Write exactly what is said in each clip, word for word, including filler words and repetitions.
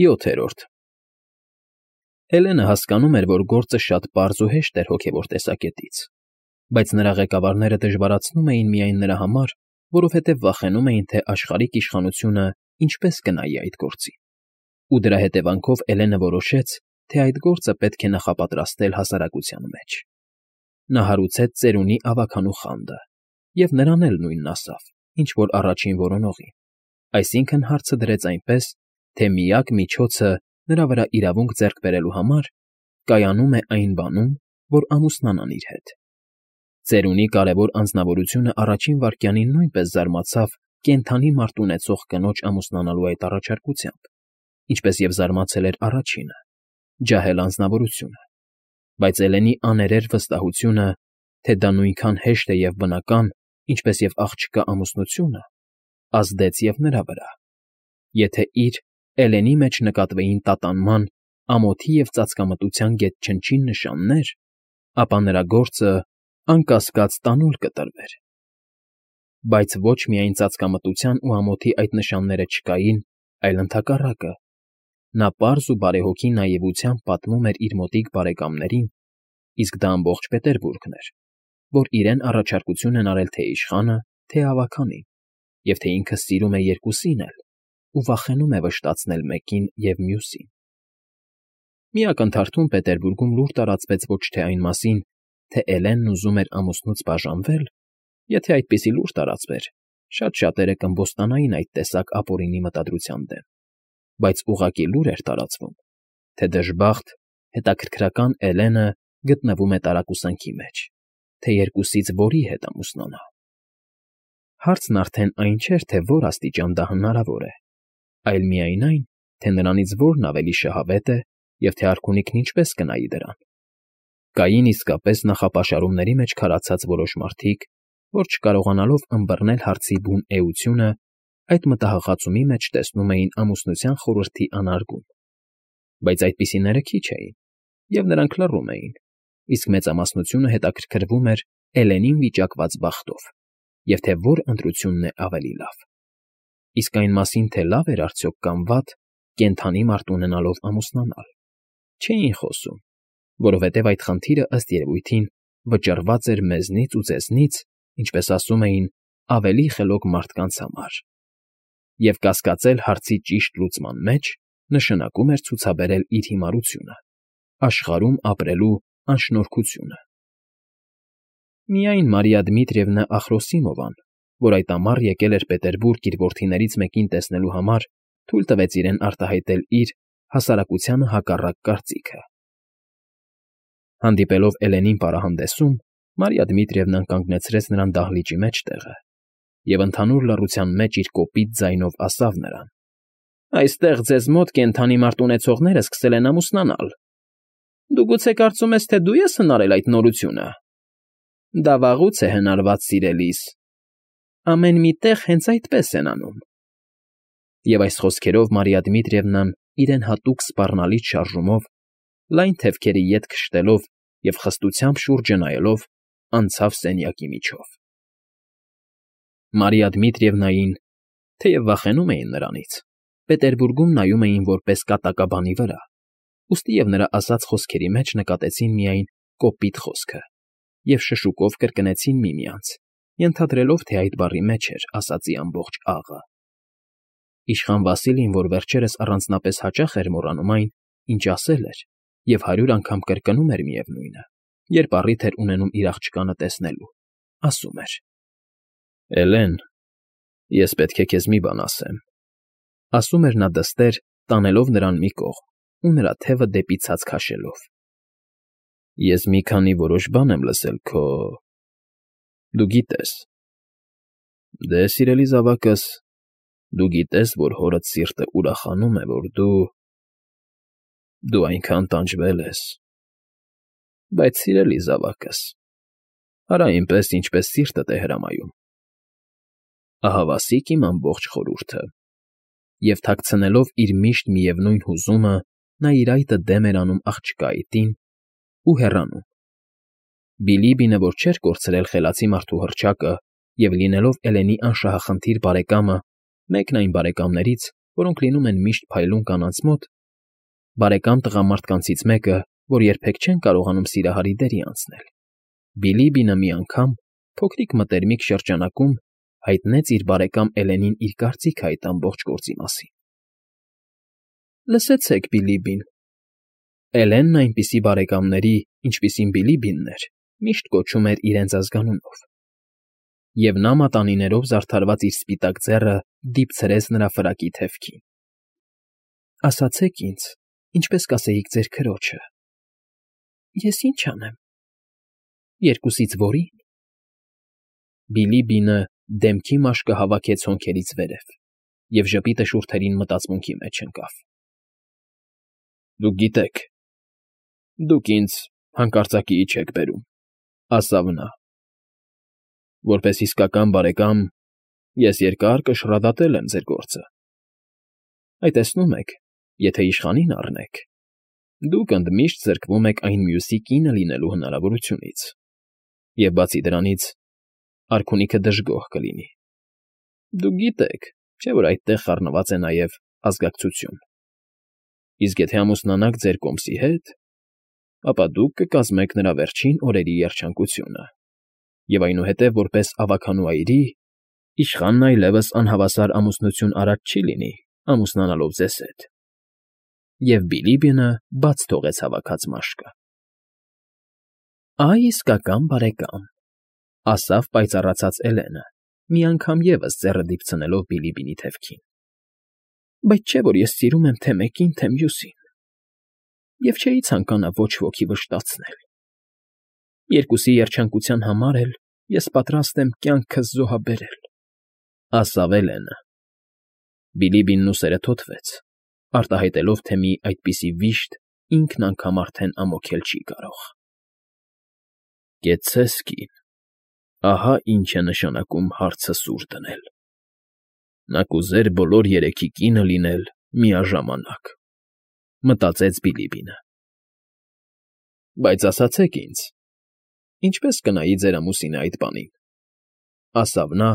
ՅՈԹԵՐՈՐԴ Հելենը հասկանում էր, որ գործը շատ պարզ ու հեշտ էր հոգևոր տեսակետից, բայց նրա ղեկավարները դժվարացնում էին միայն նրա համար, որովհետև վախենում էին, թե աշխարհիկ իշխանությունը ինչպես կնայի այդ գործին, ու դրա հետևանքով Էլենը որոշեց, թե այդ գործը պետք է նախապատրաստել հասարակության մեջ։ Նա հարուցեց ծերունի ավագանու խանդը, և նրան էլ նույնն ասավ, ինչ որ առաջին որոնողին, այսինքն՝ հարցը դրեց այնպես, թե միակ միջոցը նրա վրա իրավունք ձեռք բերելու համար կայանում է այն բանում, որ ամուսնանան իր հետ։ Ծերունի կարևոր անձնավորությունը առաջին վայրկյանին նույնպես զարմացավ կենդանի մարդ ունեցող կնոջ ամուսնանալու այդ առաջարկությամբ, ինչպես և զարմացել էր առաջինը՝ ջահել անձնավորությունը, բայց Էլենի աներեր վստահությունը, թե դա նույնքան հեշտ է և բնական, ինչպես և աղջկա ամուսնությունը, ազդեց և նրա վրա։ Եթե իր՝ Էլենի մեջ նկատվեին տատանման, ամոթի և ծածկամտության գետնչնչին նշաններ, ապա նրա գործը, անկասկած, տանուլ կտրվեր։ Բայց ոչ միայն ծածկամտության ու ամոթի այդ նշանները չկային, այլ ընդհակառակը. նա պարզ ու բարեհոգի նաիվությամբ պատմում էր իր մոտիկ բարեկամներին, իսկ դա ամբողջ Պետերբուրգն էր, որ իրեն առաջարկություն են արել թե՛ իշխանը, թե՛ ավագանին, և թե ինքը սիրում է երկուսին էլ ու վախենում է վշտացնել մեկին և մյուսին։ Մի ակնթարթում Պետերբուրգում լուր տարածվեց ոչ թե այն մասին, թե Էլենն ուզում էր ամուսնուց բաժանվե՞լ. եթե այդպիսի լուր տարածվեր, շատ շատերը կըմբոստանային այդ տեսակ ապօրինի մտադրության դեմ, բայց ուղղակի լուր էր տարածվում, թե դժբախտ, հետաքրքրական Էլենը գտնվում է տարակուսանքի մեջ, թե երկուսից որի հետ ամուսնանա։ Հարցն արդեն այն չէր, թե որ աստիճան դա հնարավոր է, այլ միայն այն, թե նրանից որն ավելի շահավետ է և թե արքունիքն ինչպես կնայի դրան։ Կային իսկապես նախապաշարումների մեջ քարացած որոշ մարդիկ, որ չկարողանալով ըմբռնել հարցի բուն էությունը, այդ մտահղացումի մեջ տեսնում էին ամուսնության խորհրդի անարգում։ Բայց այդպիսիները քիչ էին, և նրանք լռում էին, իսկ մեծամասնությունը հետաքրքրվում էր Էլենին վիճակված բախտով և թե որ ընտրությունն է ավելի լավ։ Իսկ այն մասին, թե լավ էր արդյոք կամ վատ կենդանի մարդ ունենալով ամուսնանալ, չէին խոսում, որովհետև այդ խնդիրը, ըստ երևույթին, վճռված էր մեզնից ու ձեզնից, ինչպես ասում էին, ավելի խելոք մարդկանց համար, և կասկածել հարցի ճիշտ լուծման մեջ նշանակում էր ցուցաբերել իր հիմարությունը, աշխարհում ապրելու անշնորհքությունը։ Միայն Մարիա Դմիտրիևնա Ախրոսիմովան, որ այդ ամառ եկել էր Պետերբուրգ իր որդիներից մեկին տեսնելու համար, թույլ տվեց իրեն արտահայտել իր՝ հասարակությանը հակառակ կարծիքը։ Հանդիպելով Էլենին պարահանդեսում, Մարիա Դմիտրիևնան կանգնեցրեց նրան դահլիճի մեջտեղը և ընդհանուր լռության մեջ իր կոպիտ ձայնով ասավ նրան. «Այստեղ ձեզ մոտ կենդանի մարդ ունեցողները սկսել են ամուսնանալ։ Դու գուցե կարծում ես, թե դու ես հնարել այդ նորությունը։ Դա վաղուց է հնարված, սիրելիս, ամեն մի տեղ հենց այդպես են անում»։ Եվ այս խոսքերով Մարիա Դմիտրիևնան իրեն հատուկ սպառնալից շարժումով, լայն թևքերի ետ քշտելով և խստությամբ շուրջը նայելով, անցավ սենյակի միջով։ Մարիա Դմիտրիևնային, թեև վախենում էին նրանից, Պետերբուրգում նայում էին որպես կատակաբանի վրա, ուստի և նրա ասած խոսքերի մեջ նկատեցին միայն կոպիտ խոսքը և շշուկով կրկնեցին միմյանց, ենթադրելով, թե այդ բառի մեջ էր ասածի ամբողջ աղը։ Իշխան Վասիլին, որ վերջերս առանձնապես հաճախ էր մոռանում այն, ինչ ասել էր, և հարյուր անգամ կրկնում էր միևնույնը, երբ առիթ էր ունենում իր աղջկանը տեսնելու, ասում էր. «Էլեն, ես պետք է քեզ մի բան ասեմ», ասում էր նա դստեր, տանելով նրան մի կողմ ու նրա թևը դեպի ցած քաշելով։ «Ես մի քանի որոշ բան եմ լսել քո… դու գիտես… Դե, սիրելի զավակս, դու գիտես, որ հորդ սիրտը ուրախանում է, որ դու… դու այնքան տանջվել ես… Բայց, սիրելի զավակս, արա այնպես, ինչպես սիրտդ է հրամայում… Ահա վասիկ իմ ամբողջ խորհուրդը…» Եվ թաքցնելով իր միշտ միևնույն հուզումը, նա իր այտը դեմ էր անում աղջկա այտին ու հեռանում։ Բիլիբինը, որ չէր կորցրել խելացի մարդու հռչակը և լինելով Էլենի անշահախնդիր բարեկամը, մեկն այն բարեկամներից, որոնք լինում են միշտ փայլուն կանանց մոտ, բարեկամ տղամարդկանցից մեկը, որ երբեք չեն կարողանում սիրահարի դերի անցնել, Բիլիբինը մի անգամ, փոքրիկ մտերմիկ շրջանակում, հայտնեց իր բարեկամ Էլենին իր կարծիքը այդ ամբողջ գործի մասին։ Լսեցեք, Բիլիբին, Էլենն այնպիսի բարեկամների, ինչպիսին Բիլիբինն էր, միշտ կոչում էր իրենց ազգանունով։ Եվ նա մատանիներով զարդարված իր սպիտակ ձեռը դիպցրեց նրա ֆրակի թևքին։ Ասացեք ինձ, ինչպես կասեիք ձեր քրոջը։ Ես ինչ անեմ։ Երկուսից որի՞ն։ Բիլիբինը դեմքի մաշկը հավաքեց հոնքերից վերև և ժպիտը շուրթերին մտածմունքի մեջ ընկավ։ Դուք գիտեք, դուք ինձ հանկարծակիի չեք բերում, ասավ նա։ Որպես իսկական բարեկամ, ես երկար կշռադատել եմ ձեր գործը։ Այ տեսնում եք, եթե իշխանին առնեք, դուք ընդմիշտ զրկվում եք այն մյուսի կինը լինելու հնարավորությունից, և բացի դրանից, արքունիքը դժգոհ կլինի։ Դուք գիտեք, չէ՞ որ այդտեղ խառնված է նաև ազգակցություն։ Իսկ եթե ամուսնանաք ձեր կոմսի հետ, ապա դուք կկազմեք նրա վերջին օրերի երջանկությունը, և այնուհետև որպես ավագանու այրի, իշխանն այլևս անհավասար ամուսնություն արած չի լինի, ամուսնանալով ձեզ հետ։ Եվ Բիլիբինը բաց թողեց հավաքած մաշկը։ Այ իսկական բարեկամ, ասավ պայծառացած Էլենը, մի անգամ ևս ձեռը դիպցնելով Բիլիբինի թևքին։ Բայց չէ՞ որ ես սիրում եմ թե մեկին, թե մյուսին, և չէի ցանկանա ոչ ոքի վշտացնել։ Երկուսի երջանկության համար էլ ես պատրաստ եմ կյանքս զոհաբերել, ասավ Էլենը։ Բիլիբինն ուսերը թոթվեց, արտահայտելով, թե մի այդպիսի վիշտ ինքն անգամ արդեն ամոթել չի կարող։ Կեցցես, կին, ահա ինչ է նշանակում հարցը սուր դնել։ Նա կուզեր բոլոր երեքի կինը լինել միաժամանակ, մտածեց Բիլիբինը։ Բայց ասացեք ինձ, ինչպե՞ս կնայի ձեր ամուսինը այդ բանին, ասավ նա,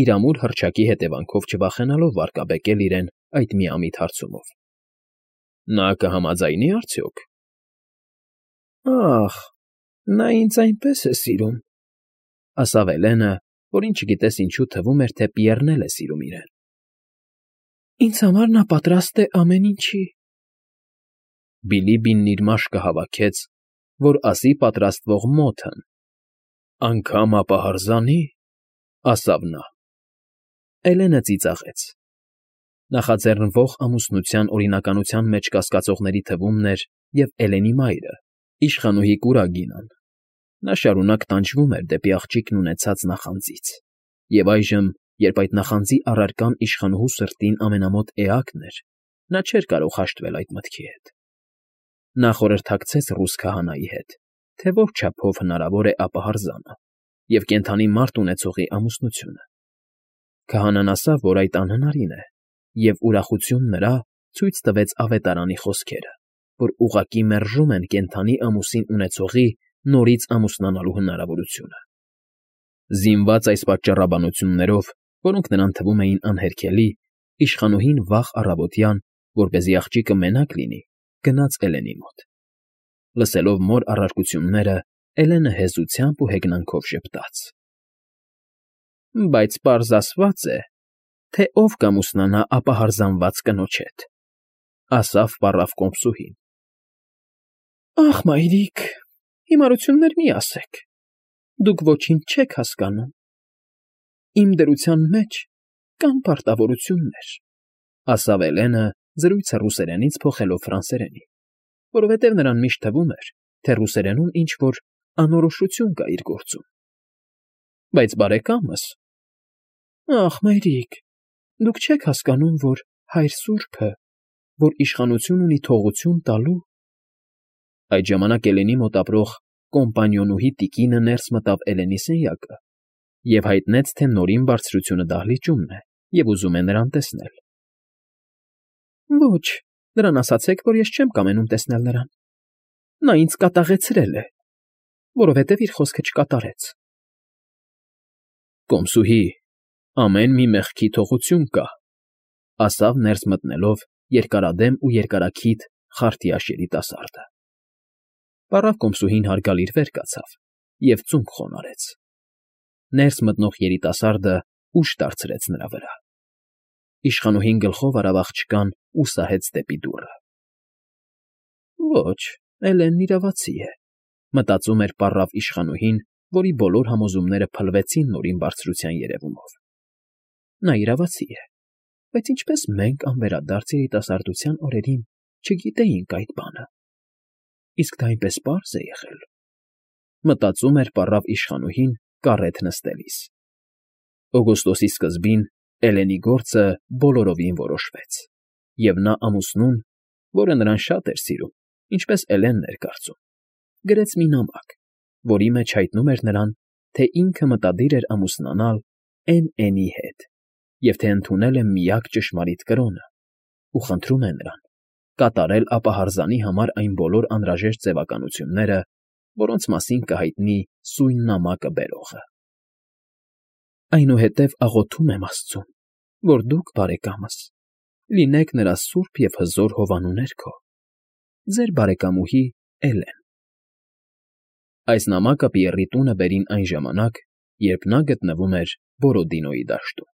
իր ամուր հռչակի հետևանքով չվախենալով վարկաբեկել իրեն այդ միամիտ հարցումով։ Նա կհամաձայնի՞ արդյոք։ Ախ, նա ինձ այնպես է սիրում, ասավ Էլենը, որին չգիտես ինչու թվում էր, թե Պիեռն էլ է սիրում իրեն։ Ինձ համար նա պատրաստ է ամեն ինչի։ Բիլիբինն իր մաշկը հավաքեց, որ ասի պատրաստվող մոթն։ Անգամ ապահարզանի, ասավ նա։ Էլենը ծիծաղեց։ Նախաձեռնվող ամուսնության օրինականության մեջ կասկածողների թվումն էր և Էլենի մայրը, իշխանուհի Կուրագինան։ Նա շարունակ տանջվում էր դեպի աղջիկն ունեցած նախանձից, և այժմ, երբ այդ նախանձի առարկան իշխանուհու սրտին ամենամոտ էակն էր, նա չէր կարող հաշտվել այդ մտքի հետ։ Նա խորհրդակցեց ռուս քահանայի հետ, թե որ չափով հնարավոր է ապահարզանը և կենդանի մարդ ունեցողի ամուսնությունը։ Քահանան ասավ, որ այդ անհնարին է, և ուրախություն նրա ցույց տվեց ավետարանի խոսքերը, որ ուղղակի մերժում են կենդանի ամուսին ունեցողի նորից ամուսնանալու հնարավորությունը։ Զինված այս պատճառաբանություններով, որոնք նրան թվում էին անհերքելի, իշխանուհին վաղ առավոտյան, որպեսզի աղջիկը մենակ լինի, գնաց Էլենի մոտ։ Լսելով մոր առարկությունները, Էլենը հեզությամբ ու հեգնանքով ժպտաց։ Բայց պարզ ասված է, թե ով կամուսնանա ապահարզանված կնոջ հետ, ասավ պառավ կոմսուհին։ Ախ, մայրիկ, հիմարություններ մի ասեք, դուք ոչինչ չեք հասկանում։ Իմ դրության մեջ կան պարտավորություններ, ասավ Էլենը, զրույցը ռուսերենից փոխելով ֆրանսերենի, որովհետև նրան միշտ թվում էր, թե ռուսերենում ինչ֊որ անորոշություն կա իր գործում։ Բայց բարեկամս… Ախ, մայրիկ, դուք չեք հասկանում, որ հայր սուրբը, որ իշխանություն ունի թողություն տալու… Այդ ժամանակ Էլենի մոտ ապրող կոմպանիոնուհի տիկինը ներս մտավ Էլենի սենյակը և հայտնեց, թե Նորին բարձրությունը դահլիճումն է և ուզում է նրան տեսնել։ Ոչ, նրան ասացեք, որ ես չեմ կամենում տեսնել նրան։ Նա ինձ կատաղեցրել է, որովհետև իր խոսքը չկատարեց։ Կոմսուհի, ամեն մի մեղքի թողություն կա, ասավ ներս մտնելով երկարադեմ ու երկարաքիթ խարթիաշ երիտասարդը։ Պառավ կոմսուհին հարգալից վեր կացավ և ծունկ խոնարհեց։ Ներս մտնող երիտասարդը ուժ դարձրեց նրա վրա։ Իշխանուհին գլխով արավ աղջկան ու սահեց դեպի դուռը։ «Ոչ, Էլենն իրավացի է,֊ մտածում էր պառավ իշխանուհին, որի բոլոր համոզումները փլվեցին նորին բարձրության երևումով։ Նա իրավացի է, բայց ինչպես մենք անվերադարձ երիտասարդության օրերին չգիտեինք այդ բանը, իսկ դա այնպես պարզ է եղել,֊ մտածում էր պառավ իշխանուհին կառետ նստելիս։ Օգոստոսի սկզբին Էլենի գործը բոլորովին որոշվեց, և նա ամուսնուն, որը նրան շատ էր սիրում, ինչպես Էլենն էր կարծում, գրեց մի նամակ, որի մեջ հայտնում էր նրան, թե ինքը մտադիր էր ամուսնանալ Էն֊Էնի հետ և թե ընդունել է միակ ճշմարիտ կրոնը ու խնդրում է նրան կատարել ապահարզանի համար այն բոլոր անհրաժեշտ ձևականությունները, որոնց մասին կհայտնի սույն նամակը բերողը։ Այնուհետև աղոթում եմ աստծուն, որ դուք, բարեկամս, լինեք նրա սուրբ և հզոր հովանու ներքո։ Ձեր բարեկամուհի Էլեն։ Այս նամակը Պիեռի տունը բերին այն ժամանակ, երբ նա գտնվում էր Բորոդինոյի դաշտում։